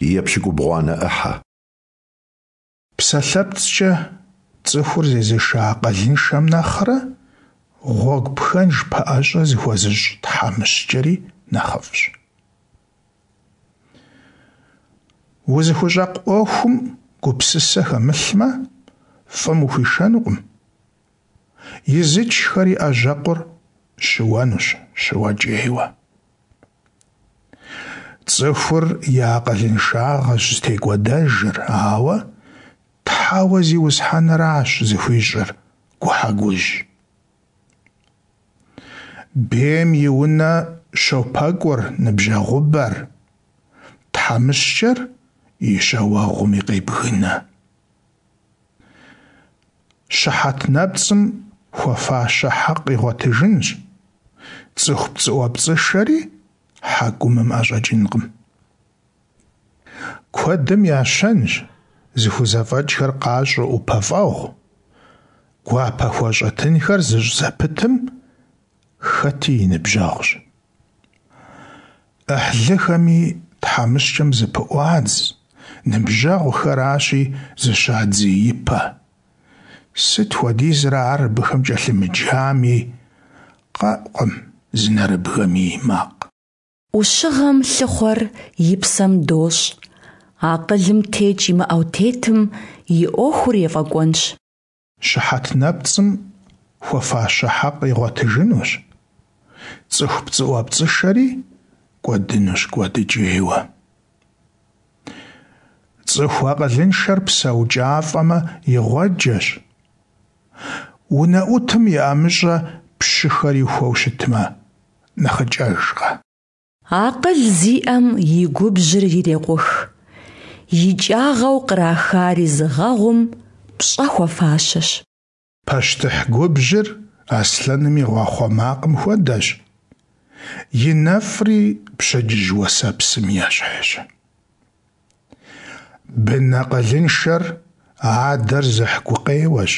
Епщыкӏубгъуанэ ӏыхьэ. Псалъэпцӏкӏэ цӏыхур зезыша акъылыншэм нэхърэ гъуэгу пхэнж пэӏэщӏэ зыхуэзыщӏ тхьэмыщкӏэри нэхъыфӏщ. Узыхущӏэкъу ӏуэхум гупсысэ хэмылъмэ, фӏым ухуишэнукъым. Изычхэри ӏэжьэкъур щыуэнущ щыуэкӏейуэ. Цӏыхур и акъылыншагъэщ зытекӏуэдэжыр, ауэ Тхьэуэ Зиусхьэныращ зыхуищӏыр гухьэгужь. Бейм и унэ щопэкӏур ныбжьэгъубэр, тхьэмыщкӏэр и щауэгъуми къебгынэ. Щыхьэт нэпцӏым хуэфащэ хьэкъ игъуэтыжынщ, цӏыху пцӏыӏуэпцӏышэри хьэкумым ӏэщӏэкӏынкъым. Куэдым я щэнщ зыхузэфӏэкӏхэр къащӏу ӏупэфӏэгъу, гуапэхуэщӏэ тынхэр зыщӏ зэпытым хэти и ныбжьэгъущ. Ӏыхьлыхэми тхьэмыщкӏэм зыпыӏуадз, ныбжьэгъухэращи, зыщадзеипэ. Сыт хуэдизрэ ар абыхэм кӏэлъымыджами, къэӏукъым зы нэрыбгэми и макъ. Ӏущыгъэм лъыхъуэр и псэм дощӏ, акъылым текӏ имыӏэу тетым и ӏуэхур ефӏэкӏуэнщ. Щыхьэт нэпцӏым хуэфащэ хьэкъ игъуэтыжынущ, цӏыху пцӏыӏуэпцӏышэри кӏуэдынущ кӏуэдыкӏейуэ. Цӏыху акъылыншэр псэукӏафӏэмэ игъуэджэщ, унэӏутым и ӏэмыщӏэ пщыхэр ихуэу щытмэ, нэхъыкӏэжкъэ? Акъыл зиӏэм и губжьыр ирекъух, икӏагъэу кърахари зыгъэгъум пщӏэ хуэфащэщ. Пащтыхь губжьыр аслъэным и гъуахъуэ макъым хуэдэщ, и нэфӏри пщэдджыжь уэсэпсым ещхьщ. Бын акъылыншэр адэр зыхь гукъеуэщ,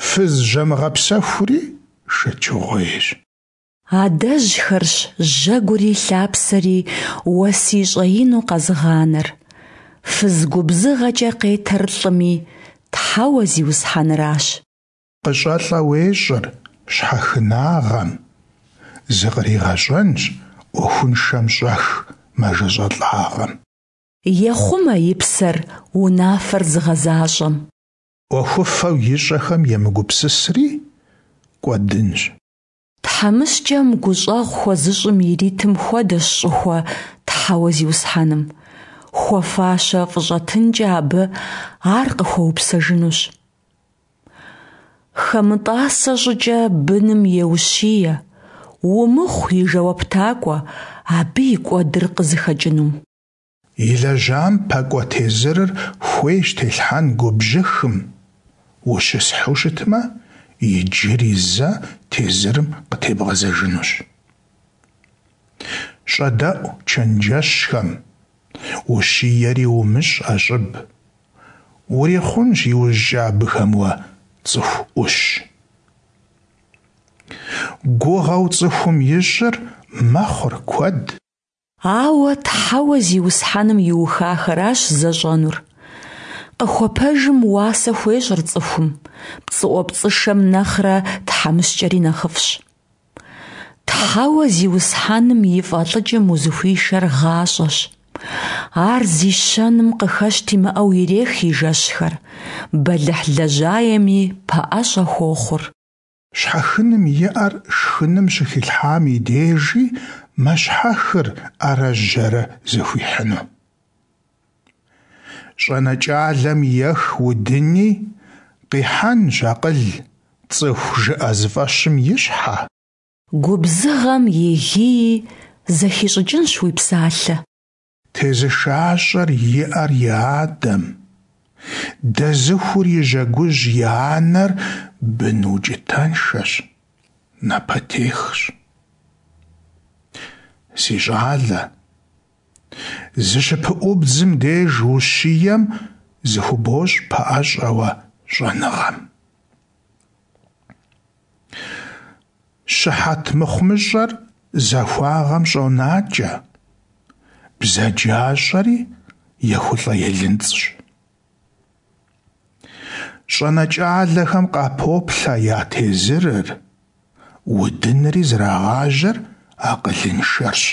фыз жьэмыгъэпсэхури шэчыгъуейщ. Адэжьхэрщ жьэгури лъапсэри уэсий щӏэину къэзыгъанэр. Фыз губзыгъэкӏэ къетэр лӏыми, Тхьэуэ Зиусхьэныращ. Къыщӏэлӏэ уещӏыр щхьэхынагъэм, зыкъригъэщӏэнщ ӏуэхуншэм щӏэх мэжэщӏэлӏагъэм. Ехъумэ и псэр унафэр зыгъэзащӏэм. ӏуэхуфэу ищӏэхэм емыгупсысри кӏуэдынщ. Тхьэмыщкӏэм гущӏэгъу хуэзыщӏым иритым хуэдэщ щӏыхуэ Тхьэуэ Зиусхьэным. Хуэфащэ фӏыщӏэтынкӏэ абы ар къыхуэупсэжынущ. Хэмытӏасэ щӏыкӏэ быным еущие, умыхъу и жэуаптакӏуэ абы и кӏуэдыр къызыхэкӏынум. Илэжьам пэкӏуэ тезырыр хуейщ телъхьэн губжьыхым, ущысхьу щытмэ, иджыри зэ тезырым къытебгъэзэжынущ. Щӏэдэӏу чэнджэщхэм, ущиери умыщӏ ӏэщӏыб, урихъунщ иужькӏэ абыхэм уэ цӏыху ӏущ. Гугъэу цӏыхум ищӏыр мэхъур куэд. Ауэ Тхьэуэ Зиусхьэным иухахэращ зэщӏэнур. Къыхуэпэжым уасэ хуещӏыр цӏыхум, пцӏыӏуэпцӏышэм нэхърэ тхьэмыщкӏэри нэхъыфӏщ. Тхьэуэ Зиусхьэным и фӏэлӏыкӏым узыхуишэр гъащӏэщ. Ар зи щэным къыхэщт имыӏэу ирех и жэщхэр, бэлыхь лэжьаеми пэӏэщӏэ хуохъур. Щхьэхыным и ӏэр шхыным щыхилъхьам и дежи мэщхьэхыр ӏэрэ жьэрэ зэхуихьыну. Щӏэнэкӏалэм ех удыни, къихьэнщ акъыл цӏыху жыӏэзыфӏэщым и щхьэ. Губзыгъэм и гии зэхищӏыкӏынщ уи псалъэ. Тезышащӏэр и ӏэр и адэм, дэзыхур и жьэгужь и анэр бын укӏытэншэщ, напэтехщ. Си щӏалэ, зыщыпыӏубдзым деж ущием зыхубощӏ пэӏэщӏэ уэ щӏэныгъэм. Щыхьэт мыхъумыщӏэр захуагъэм щӏонакӏэ. Бзаджащӏэри ехулӏэ-елынцӏщ. ЩӀэнэкӀалэхэм къапоплъэ я тезырыр, удынри зрагъажьэр акъылыншэрщ.